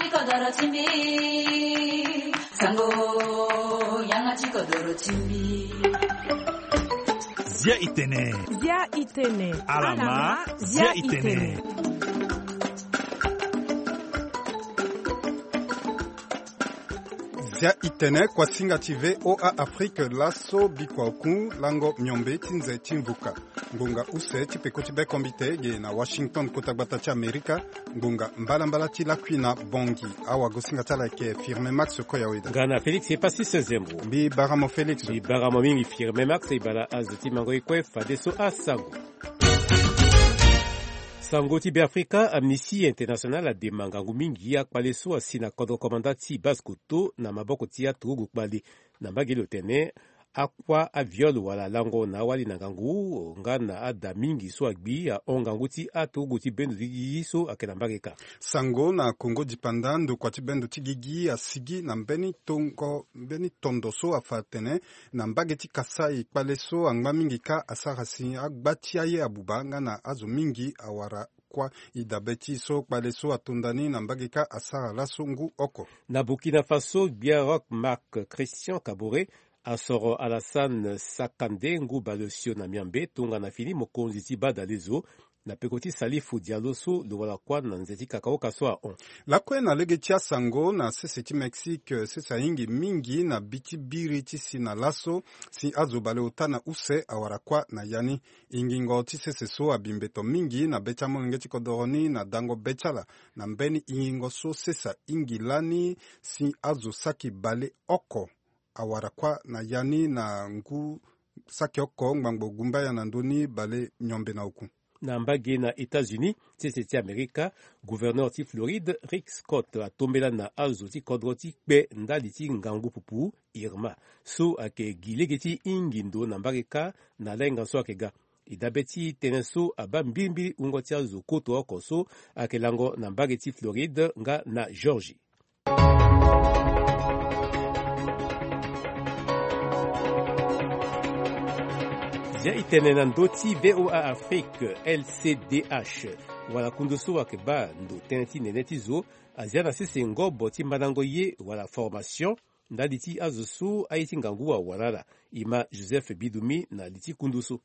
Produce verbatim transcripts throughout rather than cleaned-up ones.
Kodoro ti mbi, sango, yanga ti kodoro ti mbi. Zia itene. Zia itene. Alama, zia itene. Zia itene, kuasinga ti V O A Afrique, laso bikua oku lango miombe ti nze ti mvuka. Ngbonga use ti peko ti bekombite ge na Washington, kota gbata ti Amerika. Ngbonga mbalambala ti lakui na bongi. Awagosinga ti ala ayeke Firmin Max Koyaweda. Nga na Félix Epasis Zembo. Mbi bara mo Félix. Mbi bara mo mingi Firmin Max. E bara azo ti mango ye kue fadeso asango. Sango ti Beafrika, Amnesty International adema ngangu mingi akpale so asi na kodro komanda ti Basse-Kotto na maboko ti aturugu kpale. Na mbage lo tene, akua aviol wala lango na awali na ngangu nga na ada mingi so agbi ahon ngangu ti aturugu ti bendo ti gigi so ayeke na mbage kâ. Sango na Kongo dipanda, ndokua ti bendo ti gigi asigi na mbeni tongo, mbeni tondo so afa atene na mbage ti Kasai kpale so angba mingi kâ asara si agba ti aye abuba nga na azo mingi awara kuâ. E dabe ti e so kpale so atonda ni na mbage kâ asara laso ngu oko. Na Burkina Faso, gbia Rock Marc Christian Kaboré asoro Alassane Sakandé ngu baleosio na miombe tongana fini mokonzi ti badalezo na peko ti Salifou Diallo so lo wara kuâ na nze ti kakaoka so ahon. Lakue na lege ti asango, na sese ti Mexique, sese ahingi mingi na bi ti biri ti si na laso si azo baleota na use awara kuâ na ya ni. Ingingo ti sese so abi mbeto mingi na be ti amolenge ti kodoro ni na dango be ti ala. Na mbeni ingingo so sese ahingi lani si azo saki baleoko awara kuâ na ya ni na ngu saki oko ngbangbo gumbaya na ndö ni bale miombe na oku. Na mbage na États-Unis, sese ti Amerika, gouverneur ti Floride, Rick Scott, atombela na azo ti kodro ti kpe ndali ti ngangu pupu Irma so ayeke gi lege ti hingi ndo na mbage kâ na lahinga so ayeke ga. E dabe ti tënë so abaa mbilimbili wungo ti azo koto oko so ayeke lango na mbage ti Floride nga na Georgie. Zia e tene na ndö ti V O A Afrique, L C D H, wala kundu so ayeke baa ndo tënë ti nene ti zo azia na sese ngobo ti mandango ye wala formation ndali ti azo so aye ti ngangu awara ala. E ma Joseph Bidumi na li ti kundu so.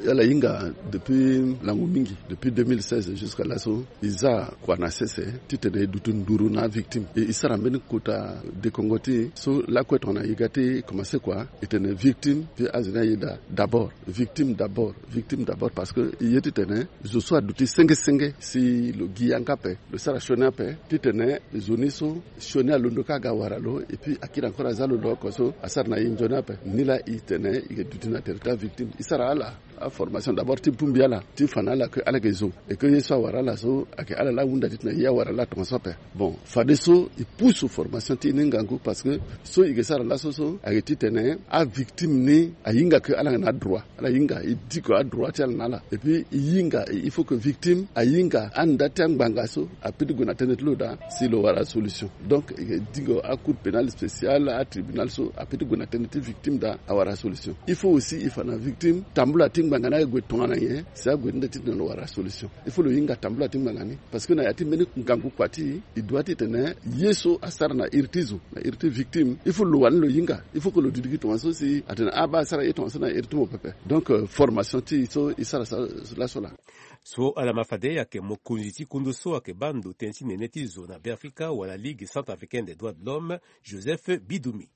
Ala hinga depuis lango mingi, depuis deux mille seize jusqu'à laso, e za kua na sese titene e duti nduru na avictime. E, e sara mbeni kota dekongo ti e so lakue tongana e ga ti e commencé kua, e tene victime puis azo ni ayeda d'abord. Victime d'abord, victime d'abord, parce que e ye titene zo so aduti senge senge si lo gi yanga ape, lo sara sioni ape, titene zo ni so sioni alondo kâ aga wara lo, et puis akiri encore aza lo lo oko so asara na e nzoni ape. Nilaa e tene e duti na tere ti avictime. E sara ala aformation d'abord ti bongbi ala, ti fa na ala ke ala yeke zo, et que ye so awara ala so ayeke ala laa ahunda titene ye awara laa tongaso ape. Bon, fadeso e pusu formation ti e ni ngangu, parce que so e yeke sara laso so ayeke titene avictime ni ahinga ke ala yeke na adroit. Ala hinga e diko adroit ti ala na ala. Et puis e hinga, il faut que victime ahinga anda ti angbanga so apeut ti gue na tënë ti lo daa si lo wara solution. Donc e diko acour pénal spécial, atribunal so apeut ti gue na tënë ti victime daa awara solution. Il faut aussi e fa na victime tambula ti ngbanga ni ague tongana nyen si ague ti nde titene lo wara solution. Il faut lo hinga tambula ti ngbanga ni, parce que na ya ti mbeni ngangu kua ti e, e doit titene ye so asara na iri ti zo, na iri ti victime, il faut lo wani lo hinga. Il faut que lo duti gi tongaso si atene abaa asara ye tongaso na iri ti mo pepe. Donc euh, formation ti e so e sara sa laso laa. So ala ma fade ayeke mokonzi ti kundu so ayeke baa ndo tënë ti nene ti zo na Beafrika wala Ligue Centrafricaine des Droits de l'Homme, Joseph Bidumi.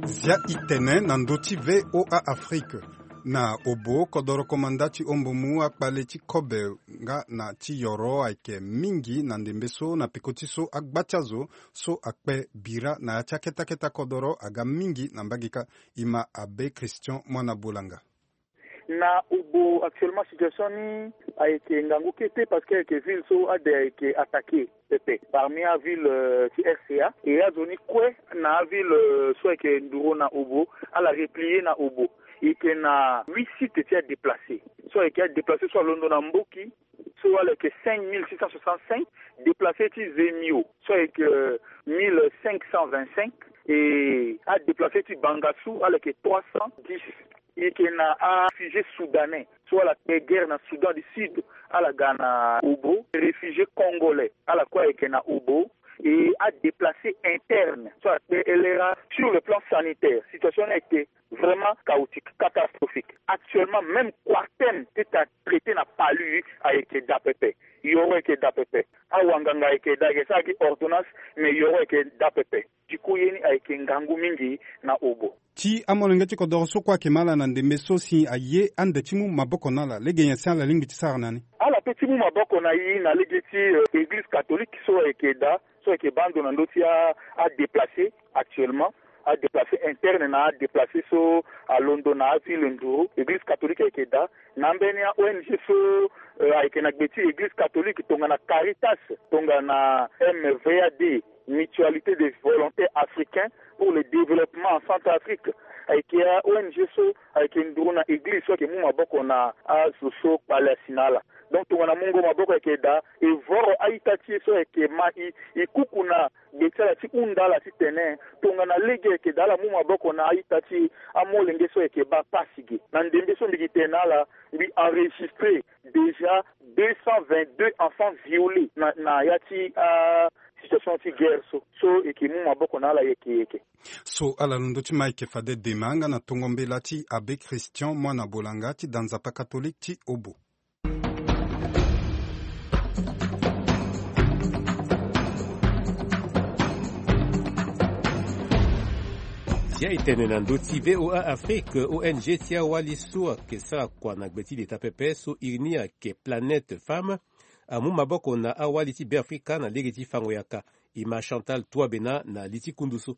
Zia e tene na ndö ti V O A Afrique. Na Obo, kodoro komanda ti Ombomu akpale ti kobe nga na ti yoro ayeke mingi na ndembe so na peko ti so agba ti azo so akpe bira na ya ti aketa keta kodoro aga mingi na mbage kâ. E ma Abbé Christian Muana Bolanga. Na Obo actuellement situation ni ayeke ngangu kete parce que ayeke ville so ade ayeke attaqué pepe parmi aville euh, ti R C A, et azo ni kue na aville euh, so ayeke nduru na Obo, ala replier na Obo. E yeke na huit sites ti adéplacé so ayeke adéplacé so alondo na Mboki, so ala yeke cinq mille six cent soixante-cinq, déplacé ti Zemio so ayeke euh, mille cinq cent vingt-cinq, et adéplacé ti Bangassou ala yeke trois cent dix. Eke na aréfugié soudanais so ala kpe guerre na Soudan du Sud, ala ga na Obo, réfugié congolais, ala kue ayeke na Obo, e adéplacé interne so akpe elera. Sur le plan sanitaire, situation ni ayeke vraiment chaotique, catastrophique. Actuellement, même Quartem ti ta traité na palu ayeke daa pepe. Yoro ayeke daa pepe. Awanganga ayeke daa, ayeke sara gi ordonnance, mais yoro ayeke daa pepe. Diku ye ni ayeke ngangu mingi na Obo. Ti amolenge ti kodoro so kue ayeke ma ala na ndembe so si aye ande ti mu maboko na ala, lege nyen si ala lingbi ti sara na ni? Ala pe ti mu maboko na e na lege ti, euh, église catholique so ayeke daa, so ayeke baa ndo na ndö ti a, adéplacé actuellement, adéplacé interne na adéplacé so alondo na aville Nduru. Église catholique ayeke daa na ambeni a-O N G so, euh, ayeke na gbe ti église catholique tongana Caritas, tongana M V A D, Mutualité des Volontaires Africains pour le Développement en Centrafrique. Ayeke a-O N G so ayeke nduru na église so ayeke mu maboko na azo so kpale asi na ala. Donc tongana mungo maboko ayeke daa, e voro a-ita ti e so ayeke ma e, e kuku na gbe ti ala ti hunda ala titene tongana lege ayeke daa ala mu maboko na a-ita ti e, amolenge so ayeke baa pasi ge. Na ndembe so mbi gi tene na ala, mbi enregistré déjà deux cent vingt-deux enfants violés na, na ya ti, ah, situation ti guerre so, so e yeke mu maboko na ala yeke yeke. So ala londo ti Mike Fadé Dema nga na tongo mbela ti Abbé Christian Muana Bolanga ti da nzapa catholique ti Obo. Zia e tene na ndö ti V O A Afrique, O N G ti awali so ayeke sara kua na gbe ti leta pepe so iri ni ayeke Planète Femme, amu maboko na awali ti Beafrika na lege ti fango yaka. E ma Chantal Touabena na li ti kundu so.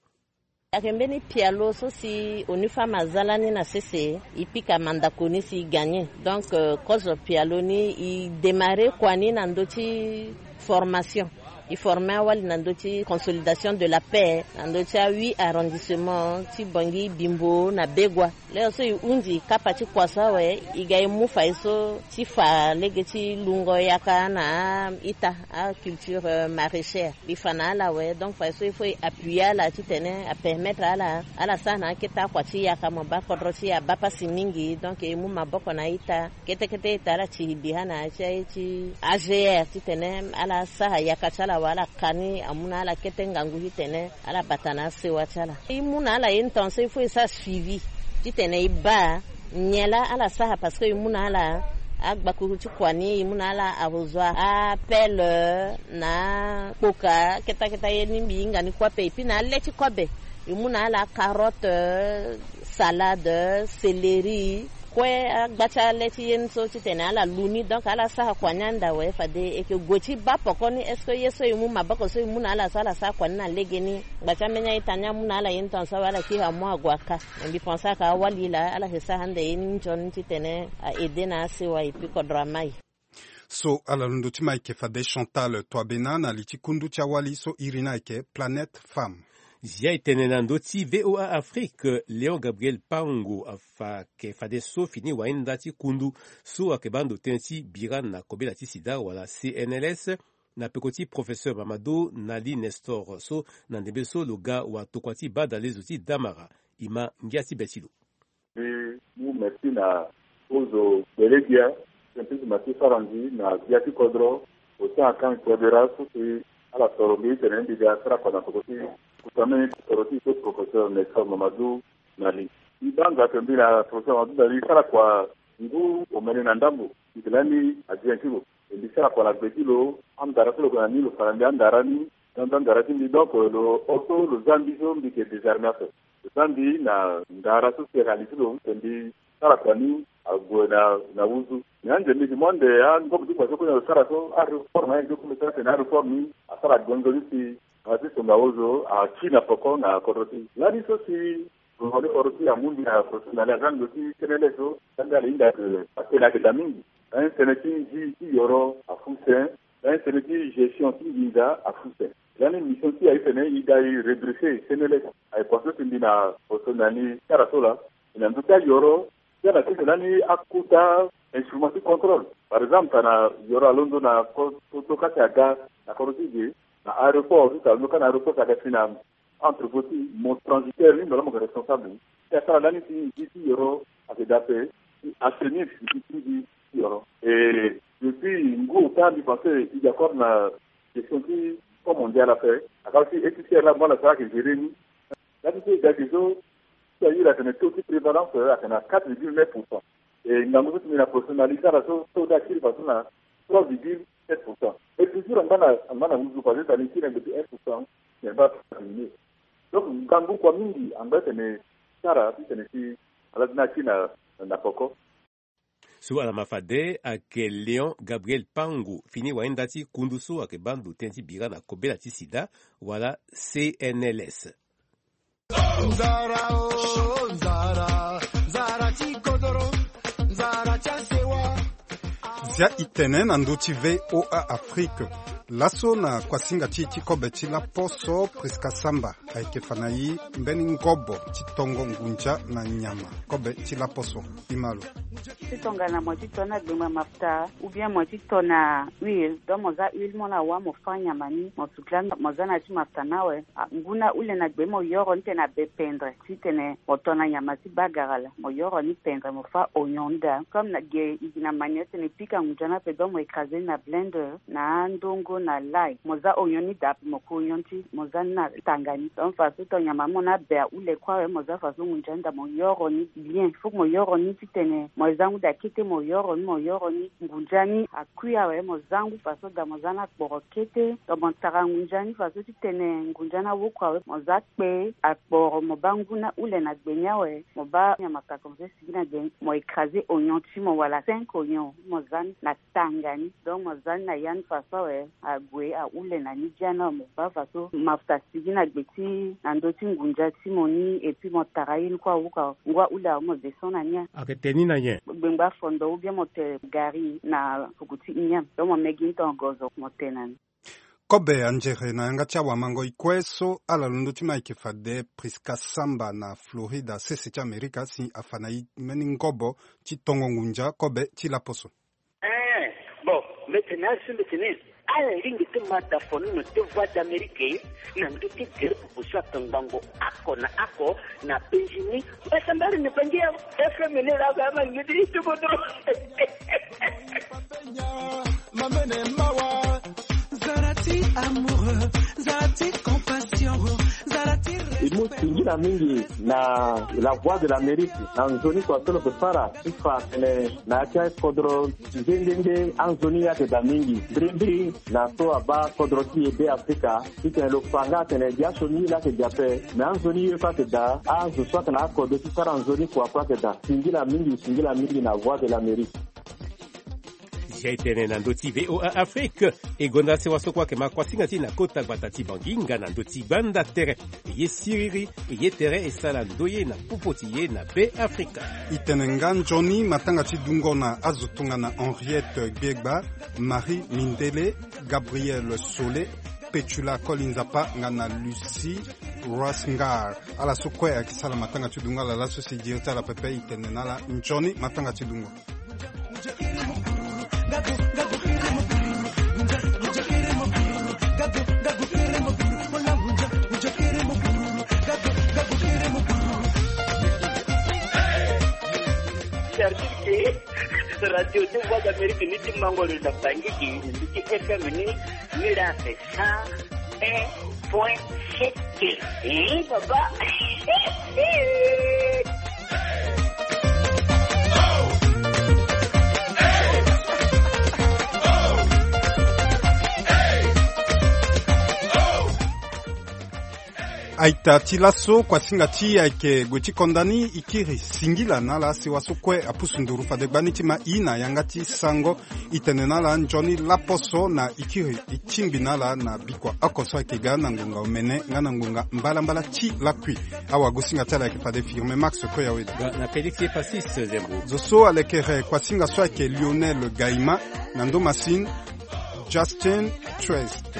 Ayeke mbeni pialo so si ONU Femmes aza lani na sese, e pika mandako ni si e gagné. Donc, euh, kozo pialo ni e démarré kua ni na ndö ti formation. E formé awali na ndö ti consolidation de la paix na ndö ti a huit arrondissement ti Bangui, Bimbo na Begoua. Lere so e hunzi kapa ti kua so awe, e ga e mu fa ye so ti fa lege ti lungo yaka na a-ita, aculture, euh, maraîchère. Mbi fa na ala awe, donc fa ye so il faut e appuyer ala titene apermettre ala, ala sara na akete akua ti yaka mo baa kodro ti e abaa pasi mingi. Donc e mu maboko na a-ita kete kete, e tara ti e bira na ya ti aye ti A G R titene ala sara yaka ti ala awe, ala ka ni amu na ala kete ngangu titene ala bata na asewa ti ala. E mu na ala ye tongaso il faut e sara suivi titene e baa nyen laa ala sara, parce que e mu na ala agbakuru ti kua ni, e mu na ala arrosoir, apelle, na kpoka, keta keta ye ni mbi hinga ni kue ape. Et puis na ale ti kobe e mu na ala carotte, salade, céleri, kue agba ti ale ti ye ni so titene ala lu ni. Donc ala sara kua ni ande awe, fade e yeke gue ti baa poko ni. Est-ce que ye so e mu maboko so e mu na ala so ala sara kua ni na legeni? Gba ti ambeni a-ita ni amu na ala ye ni tongaso awe, ala kiri amu ague aka. Me mbi pense aka awali laa ala yeke sara ande ye ni nzoni titene a aidé na asewa et puis kodro amai. So ala londo ti ma ayeke fade Chantal Touabena na li ti kundu ti awali so iri ni ayeke Planète Femme. Zia e tene na ndö ti V O A Afrique, Léon Gabriel Pango afa yeke fade so fini wainda ti kundu so ayeke baa ndo tënë ti bira na kobela ti sida wala C N L S, na peko ti professeur Mamadou Nali Nestor so na ndembe so lo ga watokua ti badalezo ti Damara. E ma ngia ti be ti lo. Mbi mu merci na kozo gbele gbia, tënë ti mbi ma ti sara nzi na gbia ti kodro, Faustin Archange Touadéra so si ala soro mbi titene mbi ga sara kua na peko ti kuta mbeni toro ti so professeur Nestor Mamadou Nali. Mbi baa nzapa mbi na professeur Mamadou Nali sara kua ngu omene na ndambo, mbi yeke lani adjoint ti lo. E mbi sara kua na gbe ti lo, andara so lo gue na ni lo fa na mbi andara ni, na ndo andara ti mbi. Donc lo oto lo za mbi so mbi yeke désarmé ape. Lo za mbi na ndara so si réalisé lo, mbi sara kua ni ague na, na wuzu. Mais ande mbi yeke mu ande angombo ti kua so kue na lo sara so, aréforme ayeke ti kue mbi sara tene aréforme ni asara gonzo ni si, nga ti songa ozo ati na poko na kodro ti e. Lani so si Lo wani oro ti amu mbi na professionnel aza ndo ti senele so, ande ala hinga ke atene ayeke daa mingi. Lani sene ti nzi ti yoro afu sen. Lani sene ti gestion ti nginza afu sen. Lani mission ti aye tene e ga e redresser senele. Aye kua so si mbi na professionnel ni sara so laa. E na ndö ti ayoro ti ala ti tene lani akota instrument ti contrôle. Par exemple tana yoro alondo na ko, ko, ko kati aga na kodro ti e ge, na aéroport ti tana alondo kâ na aéroport ti aga fini na entrepôt ti mo transitaire ni, mo laa mo yeke responsable ni. Ti asara lani ti nzi ti yoro Eda pe ti assainir ti ti ti yoro. Et depuis ngu ota mbi pense i d'accord na question ti pont mondial ape. Aka ti eti ti ala mo ala sara ayeke gérer ni. Nda ti so e ga ge so ti ayiri atene taux ti prévalence ayeke na quatre virgule neuf pour cent. Et ngangu so ti mbi na professionnel ti ala so taux ti akiri façon na trois virgule sept pour cent. Et toujours angba na angba na nduzu parce que tani ti na ngbeti un pour cent. Mais ba diminuer. Donc ngangu kua mingi angba tene sara ti tene ti ala ti na ti na na poko. So ala ma fade ayeke Léon Gabriel Pangu, fini wayenda ti kundu so ayeke baa ndo tënë ti bira na kobela ti sida wala C N L S. Nzara o nzara, nzara ti kodoro, nzara ti asewa. Zia i tene na ndö ti V O A Afrique. Laso na kuasinga ti e ti kobe ti laposo Prisca Samba ayeke fa na e mbeni ngobo ti tongo ngunza na nyama kobe ti laposo. Imalo. Ti tongana mo ti to na gbengba mafuta ou bien mo ti to na huile, donc mo za huile mo na wâ mo fâ nyama ni mo sukula mo za na ya ti mafuta ni awe. Ngu na hule na gbe mo yoro ni tene abe pendre titene mo to na nyama ti bagara laa mo yoro ni pendre mo fâ oignon ni daa. Comme na ge e gi na manière titene e pika ngunza ni ape, donc mo écraser ni na blender na andongo na lay mo za oignon ni daa ape mo ku oignon ti mo za ni na tanga ni. Donc façon to nyama ni mo ni abe ahule kue awe mo za façon ngunza ni daa mo yoro ni bien. Faut que mo yoro ni titene mo za ngu daa kete mo yoro ni mo yoro ni ngunza ni akui awe mo za ngu façon daa mo za ni akporo kete. Donc mo tara ngunza ni façon titene ngunza ni awoko awe mo za kpe akporo mo baa ngu na hule na gbe ni awe mo baa nyama takomse sigi na gbe ni mo écraser oignon ti mo wala cinq oignon mo za ni na tanga ni. Donc mo za ni na ya ni façon awe ague ahule na ni dia ni awe mo baa façon mafuta sigi na gbe ti na ndö ti ngunza ti mo ni et puis mo tara ye ni kue awoko awe ngu ahule awe mo descend na ni awe. Ayeke te ni na nyen? Gbengba fondo ou bien mo te gari na puku ti nyen? Donc mo megi ni tongo gozo mo te na ni. Kobe anzere na yanga ti awamangoi kue so ala londo ti ma ayeke fade Prisca Samba na Florida sese ti Amerika si afa na e mbeni ngobo ti tongo ngunza kobe ti laposo. Eh, bon, mbeti na asu mbeti ni ala lingbi ti ma da fono na te Voix d'Amérique na ndö ti gere pupu so atongbango oko na oko na penzi ni. Mbasambari na bangi ya F M ni laa ba ma ngedi ti bodo. Mamene mawa. Zara ti amour, zara ti compassion, zara ti e mu singila mingi na La Voix de l'Amérique na nzoni kua so lo yeke sara ti fa atene na ya ti akodro nde nde nde anzoni ye ayeke daa mingi mbirimbiri na so abaa kodro ti e Be Afrika. Titene lo fa nga atene gi asioni ye laa ayeke gi ape me anzoni ye kue ayeke daa azo so ayeke na akodro ti sara nzoni kua kue ayeke daa. Singila mingi singila mingi na Voix de l'Amérique. Zia e tene na ndö ti V O A Afrique. E gonda sewa so kue ayeke ma kuasinga ti e na kota gbata ti Bangi nga na ndö ti gbanda tere. E ye siriri e ye tere e sara ndoye na popo ti e na Be Afrika. E tene nga nzoni matanga ti dungo na azo tongana Henriette Gbiegba, Marie Mindele, Gabriel Sole, Petula Koli Nzapa nga na Lucie Rasngar. Ala so kue ayeke sara matanga ti dungo ala laso si e diri ti ala pepe e tene na ala nzoni matanga ti dungo. Service ke radio ti Voix d'Amérique ni ti mango lo na Bangui, ni ti F M ni, ni la pe cent un point sept. Eh, papa. Aita ti laso kuasinga ti e ayeke gue ti konda ni. E kiri singila na ala asewa so kue apusu nduru fade gbani ti ma e na yanga ti sango. E tene na ala nzoni laposo na e kiri e tingbi na ala na bikua oko so ayeke ga na ngonga omene nga na ngonga mbalambala ti lakui. Awagosinga ti ala ayeke fade Firme Max Koyaweda. Ga na Félix Epasis Zembo. Zo so alekere kuasinga so ayeke Lionel Gaima na ndo masine Justin Trest.